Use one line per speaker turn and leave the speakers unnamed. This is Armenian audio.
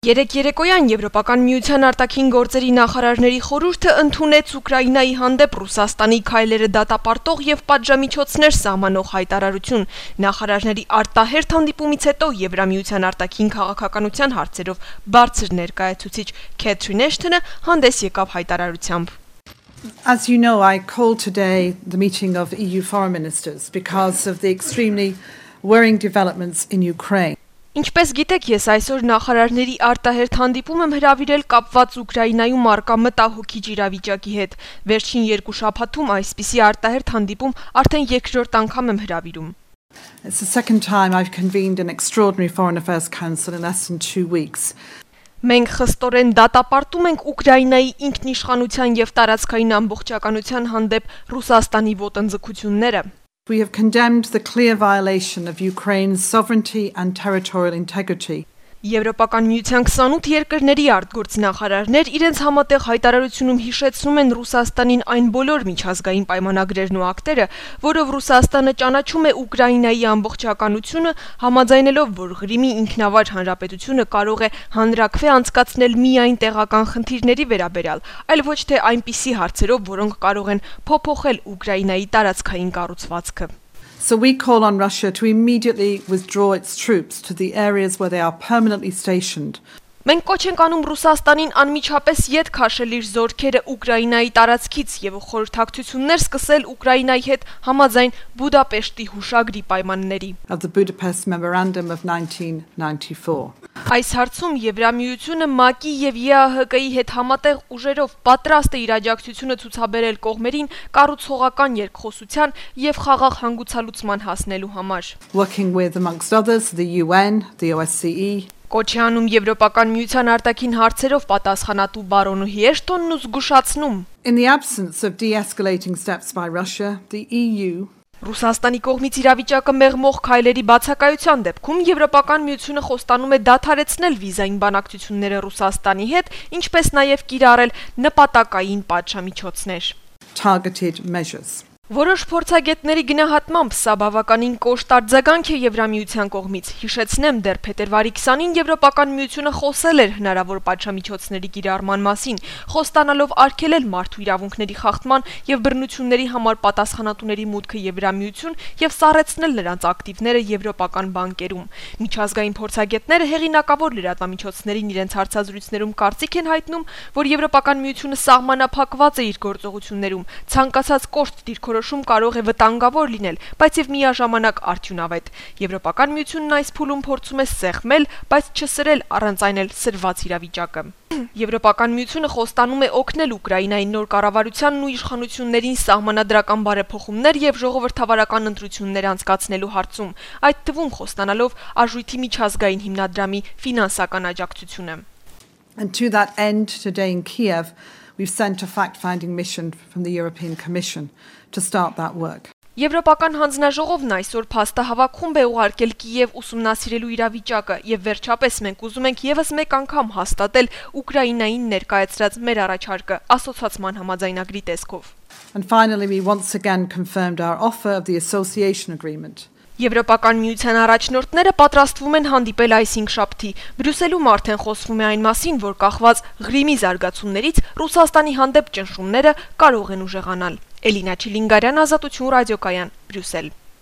Երեկ երեկոյան Եվրոպական միության արտաքին գործերի նախարարների խորհուրդը ընդունեց Ուկրաինայի հանդեպ Ռուսաստանի քայլերը դատապարտող եւ պատժամիջոցներ սահմանող հայտարարություն։ Նախարարների արտահերթ հանդիպումից հետո Եվրամիության արտաքին քաղաքականության հարցերով բարձր ներկայացուցիչ Քեթրին Էշթոնը հանդես եկավ հայտարարությամբ։
As you know, I called today the meeting of EU foreign ministers because of the extremely worrying developments in Ukraine.
Ինչպես գիտեք, ես այսօր նախարարների արտահերթ հանդիպում եմ հրավիրել կապված Ուկրաինայում առկա մտահոգիչ իրավիճակի հետ։ Վերջին 2 շաբաթում այսպիսի արտահերթ հանդիպում արդեն երկրորդ անգամ եմ հրավիրում։
It's the second time I've convened an extraordinary Foreign Affairs Council in less than 2 weeks.
Մենք խստորեն դատապարտում ենք Ուկրաինայի ինքնիշխանության եւ տարածքային ամբողջականության հանդեպ Ռուսաստանի ոտնձգությունները։
We have condemned the clear violation of Ukraine's sovereignty and territorial integrity.
Եվրոպական միության 28 երկրների արտգործնախարարներ իրենց համատեղ հայտարարությունում հիշեցնում են Ռուսաստանին այն բոլոր միջազգային պայմանագրերն ու ակտերը, որով Ռուսաստանը ճանաչում է Ուկրաինայի ամբողջականությունը, համաձայնելով, որ Ղրիմի ինքնավար հանրապետությունը կարող է հանրաքվե անցկացնել միայն տեղական խնդիրների վերաբերյալ, այլ ոչ թե այնպիսի հարցերով, որոնք կարող են փոփոխել Ուկրաինայի տարածքային կառուցվածքը։
So we call on Russia to immediately withdraw its troops to the areas where they are permanently stationed.
Մենք կոչ ենք անում Ռուսաստանին անմիջապես ետ քաշել իր զորքերը Ուկրաինայի տարածքից եւ խորհրդակցություններ սկսել Ուկրաինայի հետ համաձայն Բուդապեշտի հուշագրի պայմանների։
Of the Budapest Memorandum of 1994.
Այս հարցում Եվրամիությունը ՄԱԿ-ի եւ ԵԱՀԿ-ի հետ համատեղ ուժերով պատրաստ է իր աջակցությունը ցուցաբերել կողմերին կառուցողական երկխոսության եւ խաղաղ հանգուցալուծման հասնելու համար։
Working with, amongst others, the UN, the OSCE.
Կոչ է անում Եվրոպական միության արտաքին հարցերով պատասխանատու բարոնուհի Էշթոնն ու զգուշացնում.
In the absence of de-escalating steps by Russia, the EU
Ռուսաստանի կողմից իրավիճակը մեղմող քայլերի բացակայության դեպքում Եվրոպական միությունը խոստանում է դադարեցնել վիզային բանակցությունները Ռուսաստանի հետ, ինչպես նաև կիրառել նպատակային պատժամիջոցներ։
Targeted measures.
Որոշ փորձագետների գնահատմամբ սա բավականին կոշտ արձագանք է Եվրամիության կողմից։ Հիշեցնեմ, դեռ փետրվարի 20-ին Եվրոպական միությունը խոսել էր հնարավոր պատժամիջոցների կիրառման մասին, խոստանալով արգելել մարդու իրավունքների խախտման եւ բռնությունների համար պատասխանատուների մուտքը Եվրամիություն եւ սառեցնել նրանց ակտիվները եվրոպական բանկերում։ Միջազգային փորձագետները հեղինակավոր լրատվամիջոցներին իրենց հարցազրույցներում կարծիք են հայտնում, որ Եվրոպական միությունը սահմանափակված է իր գործողություններում, ցանկացած կոշտ դիրքորոշում կարող է վտանգավոր լինել, բայց եւ միաժամանակ արդյունավետ։ Եվրոպական միությունն այս փուլում փորձում է սեղմել, բայց չսրել առանց այն էլ սրված իրավիճակը։ Եվրոպական միությունը խոստանում է օգնել Ուկրաինայի նոր կառավարությանն ու իշխանություններին սահմանադրական բարեփոխումներ եւ ժողովրդավարական ընտրություններ անցկացնելու հարցում, այդ թվում խոստանալով արժույթի միջազգային հիմնադրամի ֆինանսական աջակցությունը։
And to that end, today in Kiev, we've sent a fact-finding mission from the European Commission to start that work.
Եվրոպական հանձնաժողովն այսօր փաստահավաք խումբ է ուղարկել Կիև ուսումնասիրելու իրավիճակը եւ վերջապես մենք ուզում ենք եւս մեկ անգամ հաստատել Ուկրաինային ներկայացրած մեր առաջարկը ասոցիացման համաձայնագրի տեսքով։
And finally, we once again confirmed our offer of the association agreement.
Եվրոպական միության առաջնորդները պատրաստվում են հանդիպել այս 5 շաբթի։ Բրյուսելում արդեն խոսվում է այն մասին, որ կախված Ղրիմի զարգացումներից Ռուսաստանի հանդեպ ճնշումները կարող են ուժեղանալ։ Էլինա Չիլինգարյան, Ազատություն ռադիոկայան, Բրյուսել։